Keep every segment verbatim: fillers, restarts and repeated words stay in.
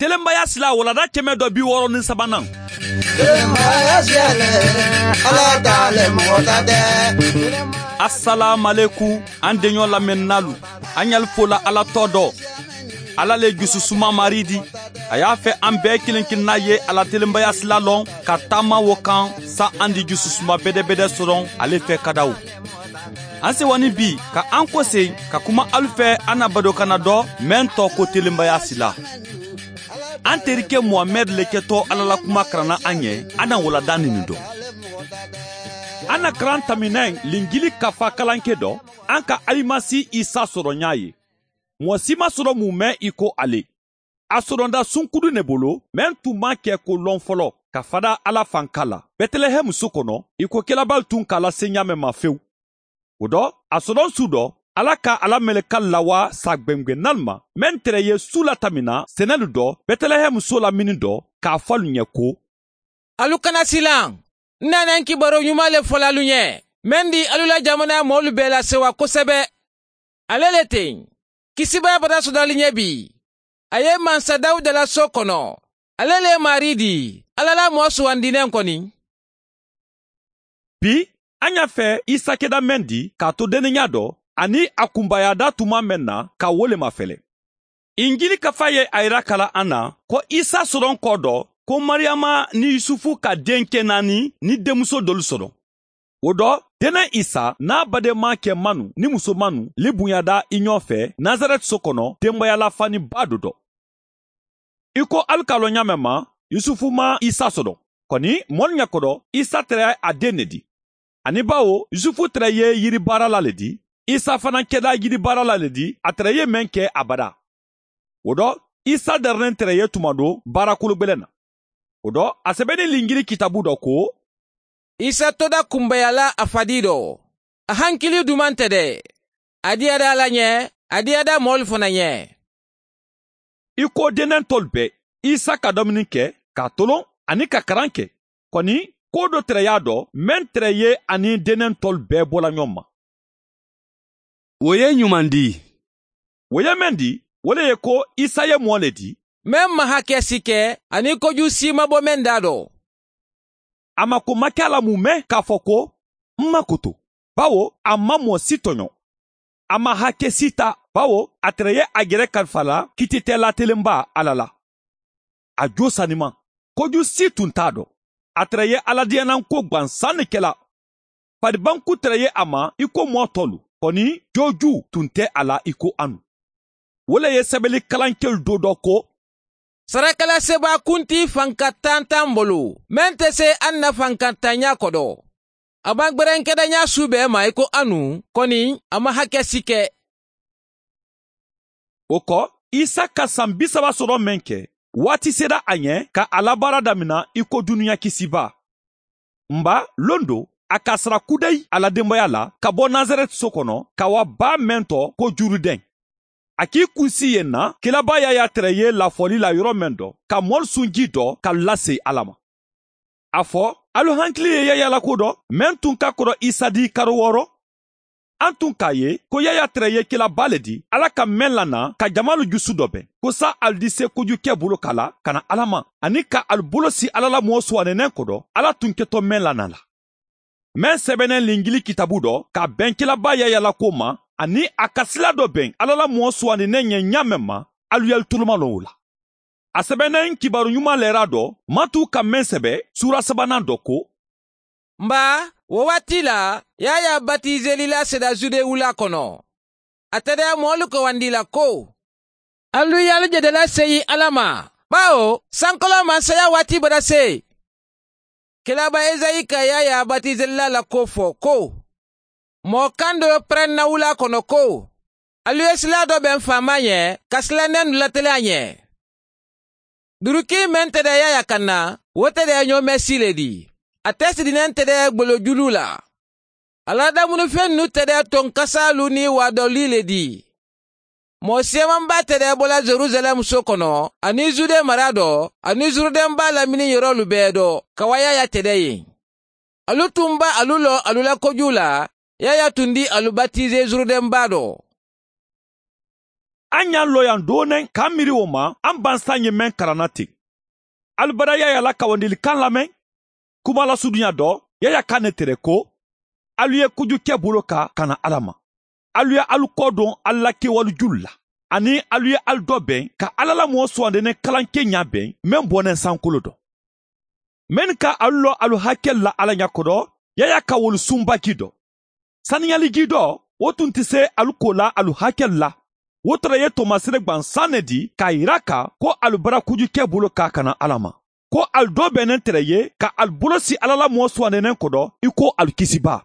Telenbaya sila walanda kɛmɛ dɔ bi wɔɔrɔ ni sabanan. Telenbaya sila le, Ala ta le, mɔgɔ ta tɛ. Asalaamalekum, an deɲɔ lamɛnninaalu, an ɲali fo la Ala tɔ dɔ. Ala le jususuma Mari di. A y'a fɛ an bɛɛ kelen kelenna ye a la telenbaya sila lɔn ka taama wo kan, sa an di jususuma bɛdɛbɛdɛ sɔrɔ ale fɛ kadaw. An sewa ni bi ka an kosegin ka kuma alu fɛ, an na badokanna dɔ, meŋ tɔgɔ ko telenbaya sila. An terike muhamɛdi le kɛtɔ, ala la kuma karanna an ye. An na walanda nini dɔn. An na karan taminɛ linjili kafa kalanke dɔ, an ka alimasi isa sɔrɔ ɲa ye. Mɔgɔ si ma sɔrɔ mun mɛn i ko ale. A sɔrɔnda sunkudu ne bolo, meŋ tun ma kɛ ko lɔn fɔlɔ ka fada ala fanka la, bɛtɛlɛhɛmu so kɔnɔ, i ko kɛlɛbali tun k'a lase ɲaamɛ ma fewu. O dɔ, a sɔrɔ su dɔ, ala ka ala mɛlɛka lawa sa gbɛngbɛnnalu ma, meŋ tɛrɛ ye su la tamina sɛnɛlu dɔ, bɛtɛlɛhɛmu so la mini dɔ, k'a fɔ alu ɲɛ ko: Alu kana silan. N nana n kibaru ɲuman le fɔ la alu ɲɛ, meŋ di alu la jamana moolu bɛɛ la sewa kosɛbɛ. Ale le teŋ, kisibaa bata sɔdali ɲɛ bi. A ye mansa dawuda la so kono. Ale le ye maari di, ala la moo suwandinen koni. Bi, an y'a fɛ isa keda meŋ di k'a to denniya dɔ, ani a kunbayada tuma meŋ na, ka wo le mafɛlɛ. Injili kafa ye a yira kala an na ko isa sɔrɔ kɔ dɔ, ko mariyama ni yusufu ka den kɛ naani ni denmuso dolu sɔrɔ. O dɔ, dɛnɛ isa n'a badenma kɛ manu ni musomanu li bonyada i ɲɔgɔn fɛ nazarɛti so kɔnɔ, denbayalafaninba do dɔ. I ko alu ka lɔn ɲaamɛ ma, yusufu ma isa sɔrɔ. Kɔni, mɔlu ɲɛkɔrɔ, isa tɛrɛ a den ne di. Ani bawo yusufu tɛrɛ ye yiribaarala le di, isa fana kɛda yiribaarala le di, a tɛrɛ ye meŋ kɛ abada. O dɔ, isa darinen tɛrɛ ye tuma do baara kologbɛlɛn na. O dɔ, a sɛbɛnni linjili kitabu dɔ ko: Isa toda kunbayala a fadi dɔ. A hankili duman tɛ dɛ. A diyada ala ɲɛ, a diyada moolu fana ɲɛ. I ko dennɛntɔlu bɛɛ, isa ka domini kɛ, k'a tolon, ani ka karan kɛ. Kɔni, ko do tɛrɛ y'a dɔ, meŋ tɛrɛ ye a ni dennɛntɔlu bɛɛ bola ɲɔgɔn ma. Wo ye ɲuman di? Wo ye meŋ di, wo le ye ko isa ye moo le di, meŋ ma hakɛ si kɛ, ani koju si ma bo meŋ da dɔ. A ma ko ma ke a la mun mɛn k'a fɔ ko: N ma koto, bawo a ma moo si tɔɲɔ. A ma hakɛ si ta, bawo a tɛrɛ ye a yɛrɛ kalifa la kiititɛla telenba ala la. A jo saniman, koju si tun t'a dɔn. A tɛrɛ ye aladiyananko gwansan ne kɛla. Faribanku tɛrɛ ye a ma i ko mɔɔ tɔlu, kɔni joju tun tɛ a la i ko anu. Wo le ye sɛbɛli kalankɛlu do dɔ ko: Sarakala sebaa kuntii fanka tantan bolo, meŋ te se an na fanka tanya kɔdɔ. A ma gberenkedaɲa su bɛɛ ma i ko anu, kɔni a ma hakɛ si kɛ. O kɔ, isa ka san bi saba sɔrɔ meŋ kɛ, waati sera a ɲɛ ka a la baara damina i ko dunuya kisibaa. Nba, londo, a ka sara kudayi a la denbaya la ka bɔ nazarɛti so kɔnɔ ka wa baa meŋ tɔ ko jurudɛn. A k'i kunsi yen na, kiraba yaya tɛrɛ ye lafɔli la yɔrɔ meŋ dɔ, ka mɔlu sunji dɔ ka lase ala ma. A fɔ, alu hankili ye yaya la ko dɔ, meŋ tun ka kɔrɔ isa di karo wɔɔrɔ. An tun k'a ye ko yaya tɛrɛ ye kiraba le di ala ka meŋ la na, ka jamaalu jusu dɔ bɛn, ko sa alu di se kojukɛ bolo ka la ka na ala ma, ani ka alu bolo si ala la moo suwanenɛ ko dɔ, ala tun kɛtɔ meŋ la na la. Meŋ sɛbɛnnen linjili kitabu dɔ ka bɛn kiraba yaya la ko ma, ani a ka sila dɔ bɛn ala la moo suwanenɛ ɲɛ ɲaamɛ ma, alu yali tulumalon wo la. A sɛbɛnnen kibaru ɲuman lɛra dɔ, matu ka meŋ sɛbɛ suura sabanan dɔ ko: Nba, wo waati la, yaya batizelila seda jude wula kɔnɔ. A tɛdɛɛ moolu kawandi la ko: Alu ye alu jedela seyi ala ma, bawo sankolon mansaya waati bada se. Kelaba ezayi ka yaya batizelila la ko fɔ ko: Moo kando perenna wula kɔnɔ ko: Alu ye sila dɔ bɛn faama ɲɛ, ka sila nenu latele a ɲɛ. Duruki meŋ tɛdɛɛ yaya kanna, wo tɛdɛɛ ɲoomɛsi le di. A te sidinen tɛdɛɛ gbolo julu la. A la damunifennu tɛdɛɛ tonkasaalu ni waadɔli le di. Moo seemanbaa tɛdɛɛ bola jerusalɛm so kɔnɔ, ani jude mara dɔ, ani jurudenbaa lamini yorolu bɛɛ dɔ, ka wa yaya tɛdɛɛ yen. Alu tun ba alu lɔ alu la koju la, yaya tun di alu batize jurudenbaa dɔ. An ye an looyaŋ doo neŋ ka an miiri wo ma an bansa ye meŋ karanna teŋ. Ali bada yaaya la kawandili kaŋ lameŋ. Kuma lasuduɲa do yaaya kaŋ ne tere ko, ali ye kuju ke bolo ka kana alla ma. Ali ye ali kodoŋ ali la kewali julu la, aniŋ ali ye ali do beŋ ka alla la moo suwandi ne kalaŋ ke ɲaa beŋ meŋ boneŋ sankolo do. Mennu ka alu loo alu hakelu la alla ɲa kodo, yaaya ka wolu sunba jii do. Saniyali jii do wo tun ti see alu koo la alu hakelu la. Wo tara ye tomasere gbansaŋ ne di ka a yira a ka ko alu bara kuju ke bolo ka a kana alla ma, ko alu do be neŋ tara ye ka alu bolo si alla la moo suwandi neŋ kodo i ko alu kisibaa.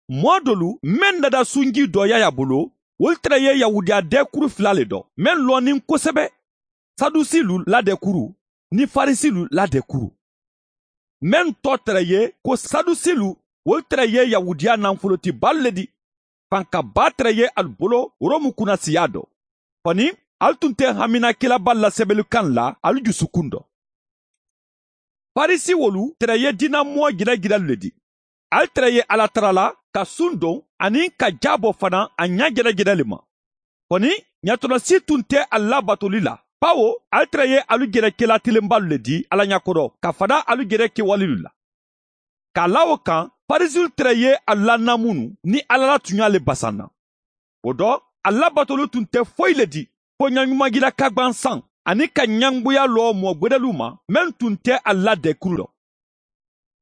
Moo dolu mennu dada sunjii do yaaya bolo, wolu tara ye yahudiya deekuru fula le do mennu looniŋ kosebe, sadusiilu la deekuru niŋ farisiilu la deekuru. Mennu too tara ye ko sadusiilu, wolu tara ye yahudiya nanfolotibaalu le di. Fanka baa tara ye alu bolo romu kunasiyaa do. Koni, alu tun te haminakilabaalu la sebelu kaŋ la alu jusukundo. Farisiwolu tara ye diina moo jelajelelu le di. Ali tara ye alla tara la ka sundoŋ aniŋ ka jaabo fanaa a ɲaa jelajela le ma. Koni, ɲatolosii tun te ali labatoli la, bawo ali tara ye alu jelekela tilimbaalu le di alla ɲa kodo ka fanaa alu jelekewalilu la. Ka a la wo kaŋ, farisiwolu tara ye alu la namunu niŋ alla la tuɲaa le basanna. Wo do, alu labatolu tun te foyi le di fo ɲaɲumajila kagbansaŋ aniŋ ka ɲanbuya loo moo gbedeluu ma mennu tun te alu la deekuru do.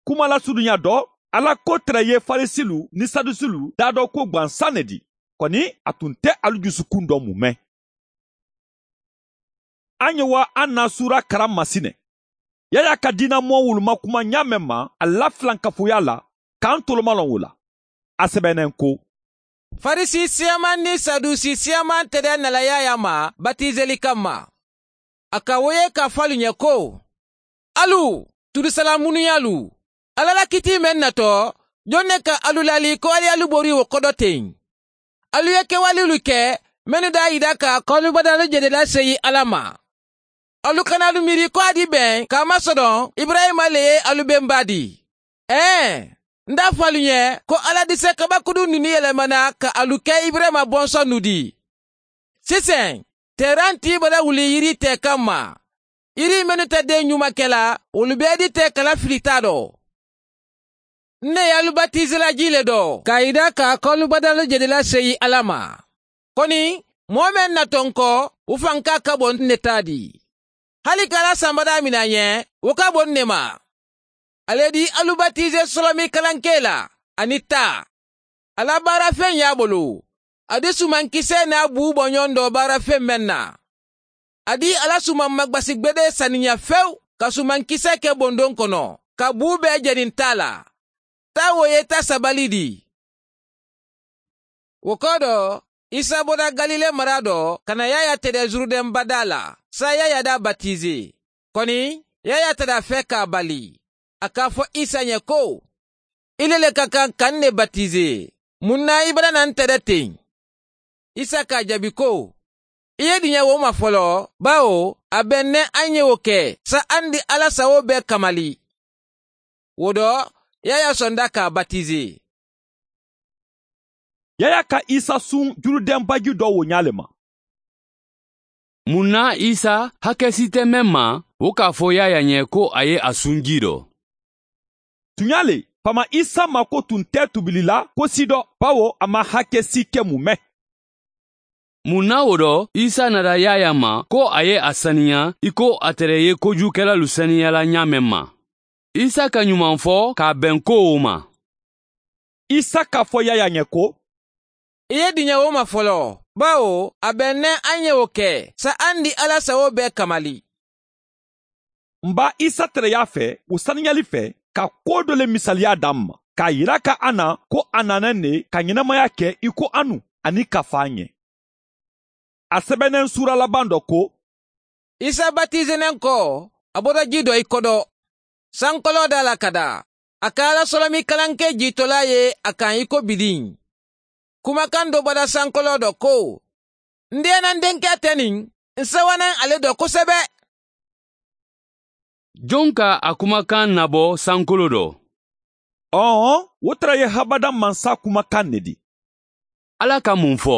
Kuma lasuduɲa do, alla ko tara ye farisilu niŋ sadusilu daadookuwo gbansaŋ ne di. Koni, a tun te alu jusukundo mume. An ye wa an na suura karaŋ masine. Yaaya ka diina moo wuluma kuma ɲaa meŋ ma a la filankafuyaa la, ka an tolomaloŋ wo la. A sebeneŋ ko, farisi siyaamaŋ niŋ sadusi siyaamaŋ tere nala yaaya ma batizeli kamma. A ka wo ye ka fo alu ɲe ko, alu tudusalaamunuyalu, alla la kitii meŋ nato, joŋ ne ka alu laali ko ali ye alu bori wo kodo teŋ? Alu ye kewalilu ke mennu daa yita ka koolubadaalu jedela seyi alla ma. Alu kana alu miiri ko a di beŋ ka a masodoŋ iburayima le ye alu bemba di. Ee, n daa fo alu ɲe ko alla dise kabakuduŋ duni yelemana ka alu ke iburayima bonsonnu di. Siseŋ, teeraŋ ti i bada wuli yiri te kamma. Yiri mennu te deŋ ɲuma ke la, wolu bee di te kala filitaa do. N ne ye alu batizela jii le do ka a yita ka koolubadaalu jedela seyi alla ma. Koni, moo meŋ na to n ko, wo fanka ka bo n ne taa di. Hali ka alla samba daamina ɲe, wo ka bo n ne ma. Ali ye di alu batize solomi kalankee la, aniŋ taa. A la baarafeŋ ye a bolo. A di sumankisee niŋ a buu bo ɲoŋ do baarafeŋ meŋ na. A di a la sumaŋ magbasi gbedee saniya fewu ka sumankisee ke bondoŋ kono, ka buu bee jeniŋ taa la. Taa wo ye taa sabali di. Wo kodo, isa bota galile mara do ka na yaaya tede zurudeŋ badaa la, saayiŋ yaaya daa batize. Koni, yaaya tada fee ka a bali. A ka a fo isa ɲe ko, i le le ka kaŋ ka n ne batize. Muŋ na i bada na n tede teŋ? Isa ka a jaabi ko, i ye diɲe wo ma folo, bawo a be n ne a ŋ ye wo ke saayiŋ di alla sawo bee kamali. Wo do, yaaya sonda ka a batize. Yaaya ka isa suŋ jurudenbaji do wo ɲaa le ma. Muŋ na isa hakesi te meŋ ma, wo ka a fo yaaya ɲe ko a ye a suŋ jii do? Tuɲaa le, faama isa maako tun te tubili la ko si do, bawo a maŋ hakesi ke mume. Muŋ na wo do, isa nata yaaya ma ko a ye a saniya i ko a tere ye kojukelalu saniya la ɲaa meŋ ma. Isa ka ɲumaŋ fo ka a beŋ ko wo ma. Isa ka fo yaaya ɲe ko, i ye diɲe wo ma folo, bawo a be n ne a ŋ ye wo ke saayiŋ di alla sawo bee kamali. N baa isa tereyaa fee wo saniyali fee ka kuwo do le misaliyaa daa n ma ka a yira ka a na ko a naana n ne ka ɲenamaya ke i ko a nu aniŋ ka faa ɲe. A sebeneŋ suura labaŋ do ko, isa batize neŋ ko, a bota jii do i kodo sankoloo daa la ka daa. A ka alla solomi kalankee jiitolaa ye a kaŋ i ko bidiŋ. Kumakaŋ do bota sankoloo do ko, n diyana n denkee te niŋ, n sewanaŋ a le do kosebe. Joŋ ka a kumakaŋ nabo sankolo do? Ɔɔ, wo tara ye habadaŋ mansa kumakaŋ ne di. Alla ka muŋ fo?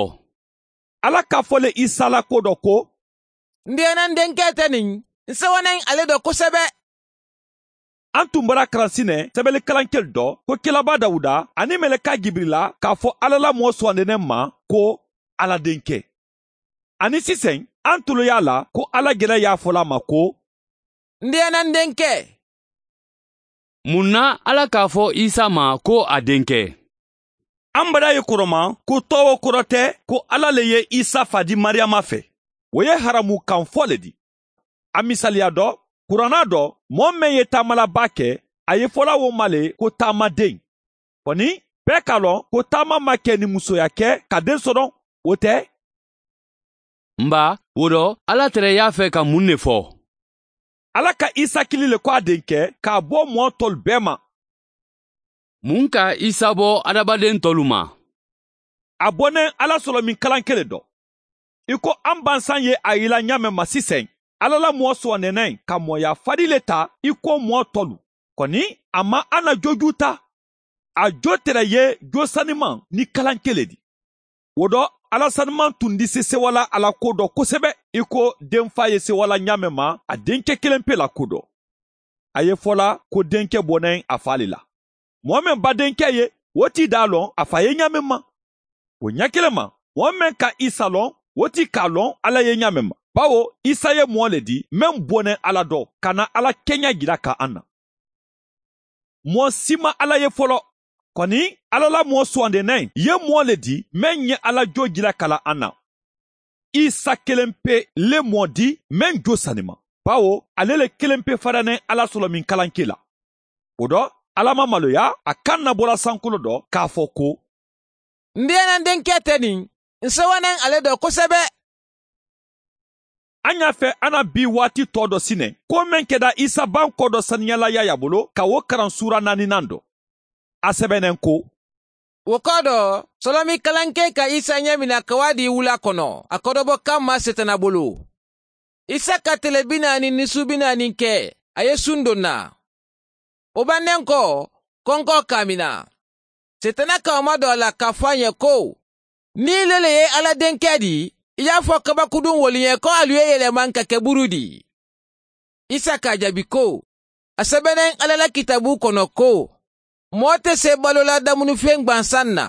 Alla ka a fo le isa la ko dɔ ko, n diyana n denkee te niŋ n sewa naŋ ale do kosebe. Aŋ tun bara karansi ne sebeli kalankelu do ko kilaba dawuda aniŋ meleka jibirila ka a fo alla la moo suwandi ne ma ko, alla denke. Aniŋ siseŋ aŋ tulu ye a la ko alla jele ye a fo le a ma ko, n diyana n denkee. Mun na alla ka a fo isa ma ko a denke? Aŋ bada ye koroma ko too wo koro te ko alla le ye isa fa di mariyama fe. Wo ye haramu kaŋ fo le di. A misaliya do, kuranna do, moo meŋ ye taamalabaa ke, a ye fola wo ma le ko taamadeŋ. Koni, bee ka a loŋ ko taama maŋ ke ni musoya ke ka deŋ soto? Wo te. N ba, wo do alla tere ye a fe ka muŋ ne fo? Alla ka isa kili le ko a denke ka a bo moo tolu bee ma. Mun ka isa bo adamadeŋ tolu ma? A bo neŋ alla solominkalankele do. I ko aŋ bansaŋ ye a yila ñaameŋ ma siseŋ, alla la moo suwandeneŋ ka mooyaa fadi le ta i ko moo tolu. Koni, a maŋ a na jojuu ta. A joo tere ye joo sanimaŋ ni kalankele di. Wo do, alla sanimaŋ tun disi sewala a la ko do kosebe i ko denfaa ye sewala ñaameŋ ma a denke kelenpe la ko do. A ye fola ko denke bo neŋ a faa le la. Moo meŋ ba denke ye, wo ti daa loŋ a faa ye ñaameŋ ma. Wo ñakilema, moo meŋ ka isa loŋ, wo ti ka a loŋ alla ye ñaameŋ ma. Bawo isa ye moo le di meŋ bo neŋ alla do ka na alla keña jila ka a na. Moo si maŋ alla ye folo. Koni, alla la moo suwandeneŋ ye moo le di meŋ ye alla joo jila ka la a na. Isa kelenpe le moo di meŋ joo sanimaŋ, bawo ale le kelenpe fadaneŋ alla solominkalankee la. Wo do, alla maŋ maloya a kaŋ na bola sankolo do ka a fo ko, n diyana n denkee te niŋ n sewa naŋ ale do kosebe. A ñaa fe a na bii waati too do sine ko meŋ keda isa bankoo do saniyala yaayaa bulu ka wo karansuura naaninaŋ do. A sebeneŋ ko, wo koo do, solomi kalankee ka isa ñaamina kawaadii wulaa kono a kodobo kamma setana bulu. Isa ka tele bi naani ni suu bi naani ke, a ye sundonna. Wo banneŋ ko, konkoo kaamina. Setana ka wo ma do a la ka a fo a ñe ko, niŋ i le le ye alla denkee di, i ye a fo kabakuduŋ wolu ñe ko alu ye yelema n ka ke burudi. Isa ka a jabi ko, a sebeneŋ alla la kitaabuu kono ko, moo te see baloo la damunifeŋ gbansaŋ na.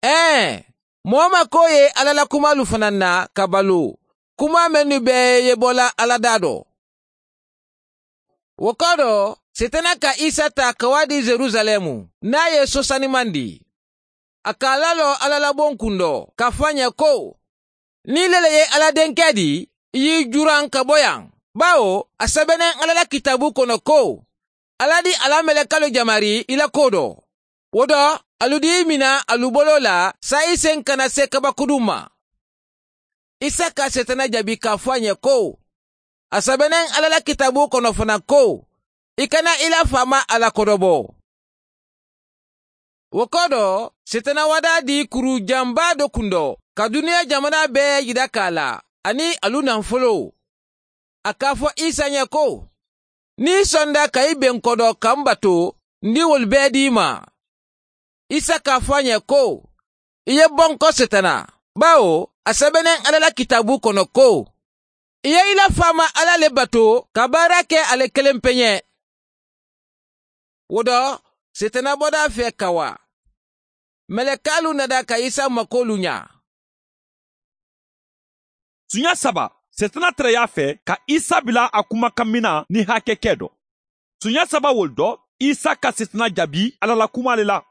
Ee, moo ma koo ye alla la kumaalu fanaŋ na ka baloo, kumaa mennu bee ye bo la alla daa do. Wo koo do, setana ka isa taa ka wo a dii yerusaleemu niŋ a ye sosanimandi. A ka a laloo alla la boŋ kundo ka a fo a ñe ko, niŋ i le le ye alla denkee di, i ye i juraŋ ka bo yaŋ. Baawo a sebeneŋ alla la kitaaboo kono ko, alla di a la melekaalu jamari i la koo do. Wo do, alu dii i mina alu boloo la saayiseŋ kana see kabakuduŋ ma. Isa ka seetana jabi ka a fo a ñe ko, a sebeneŋ alla la kitaaboo kono fanaŋ ko, i kana i la faamaa alla kodobo. Wo koo do, seetana wadaa dii kuru jambaa do kundo ka duniyaa jamanaa bee yidaka a la, aniŋ alu naŋ foloo. A ka a fo isa ñe ko, niŋ i sonda ka i beŋ kodo ka m batu, n di wolu bee dii ma. Isa ka a fo a ñe ko, i ye bonko seetana, baawo a sebeneŋ alla la kitaaboo kono ko, i ye i la faamaa alla le batu ka baara ke a le kelempe ñe. Wo do, seetana bodaa fee ka waa. Melekaalu nada ka isa makoolu ñaa. Suña saba, seetana tereyaa fee ka isa bila a kumakamina ni hakekee do. Suña saba wolu do, isa ka seetana jabi alla la kumaa le la.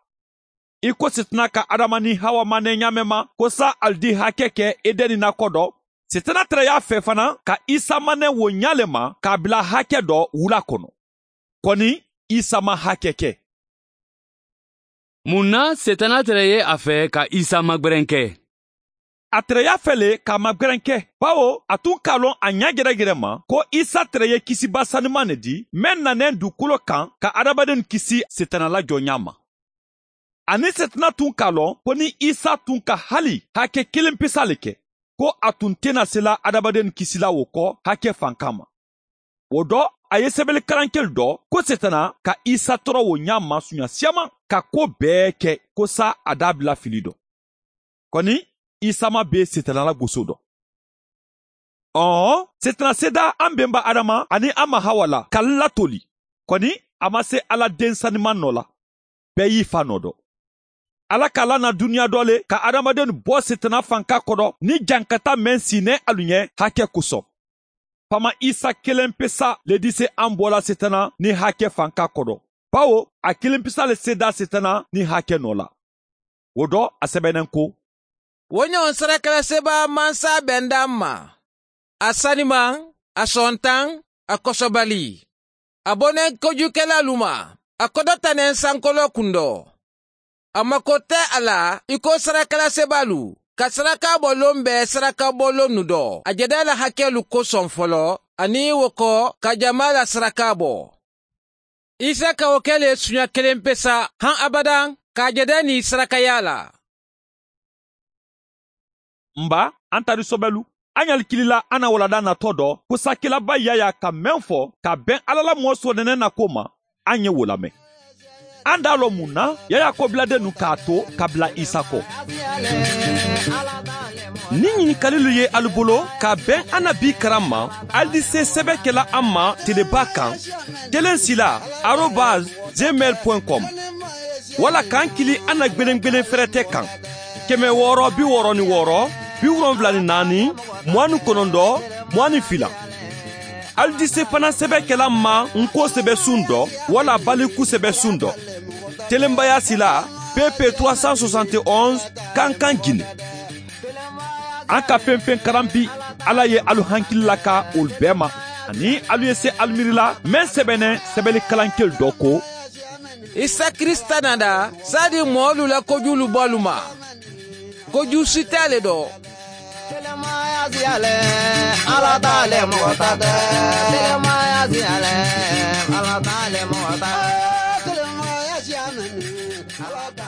I ko seetana ka adama niŋ hawa mane ñaameŋ ma ko saayiŋ ali di hakekee edeni nakoo do, seetana tereyaa fee fanaa ka isa mane wo ñaa le ma ka a bila hake do wulaa kono. Koni, isa maŋ hake ke. Mun na seetana tere ye a fee ka isa magberenke? A tere ye a fee le ka a magberenke, baawo a tun ka a loŋ a ñaajerejere ma ko isa tere ye kisiba sanimaŋ ne di meŋ na neŋ dukolo kaŋ ka adamadennu kisi seetana la jooñaa ma. Aniŋ seetana tun ka a loŋ ko niŋ isa tun ka hali hake kiliŋ pisa le ke, ko a tun te na sila adamadennu kisila wo ko hake fankaa ma. Wo do, a ye sebelikarankelu do ko seetana ka isa toro wo ñaa ma suñasiyaama ka koo bee ke ko saayiŋ a daabila fili do. Koni, Isa ma bee seetana la gosoo dɔ. Ɔɔ, seetana seedaa a m̀ benba adama aniŋ a ma hawa la ka n latoli. Kɔni, a ma se alla den sanimaŋ nɔ la. Bee y'i fa nɔ dɔ. Alla ka la na duniya dɔ le ka adamadenw bɔ seetana fanka kodo niŋ jankata meŋ siinee alu ɲe hake koso. Pama isa kelen pesa le dise a m̀ bo la seetana niŋ hake fanka kodo. Bawo a kelen pesa le seedaa seetana niŋ hake nɔ la. Wo dɔ a sebeneŋ ko, wo ɲoŋ sarakala sebaa mansa benda m̀ ma. A sanimaŋ, a sontaŋ, a kosobali. A bo neŋ kojukelalu ma, a kodota neŋ sankoloo kundoo. A makote a la i ko sarakala sebaalu ka saraka bo loŋ be saraka bo loŋ nu doo a jede la hakeelu kosoŋ folo, aniŋ wo ko ka jamaa la saraka bo. Isa ka wo ke le suɲa kelen pesa haŋ abadaŋ ka a jede niŋ sarakayaa la. M̀ ba, a n tari sobelu, a ɲalikili la a na walanda natoo dɔ kusakelaba yaya ka meŋ fo ka beŋ alla la moo sooneneŋ na ko ma. A ɲe wo lameŋ. A n daa loŋ muŋ na yaya ko biladennu ka a to ka bila isa ko? Niŋ ɲinikalilu ye alu bolo ka beŋ a na bii karaŋ ma, ali dise sebe ke la a ma telebaa kaŋ, kelen sila arobas gmail point com, walla ka n kili a na gbelengbelen ferete kaŋ, keme wooro bi wooro ni wooro, bi wolonwula ni naani, muwaani konondoo, muwaani fila. Ali dise fanaŋ sebe ke la n ma n ko sebe suŋ dɔ walla baliku sebe suŋ dɔ. Telenbaya sila, pp trois cent soixante et onze, kankan gine. An ka feŋ feŋ karan bi, alla ye alu hankili laka wolu bee ma, aniŋ alu ye se alu miiri la meŋ sebeneŋ sebeli kalankelu dɔ ko, isa kirisita nada saadi moolu la kojuulu bolu ma. Koju sita le do. Telemaya siya le, ala ta le moxo ta de. Telemaya siya le, ala ta le moxo ta de. Telemaya siya le, ala ta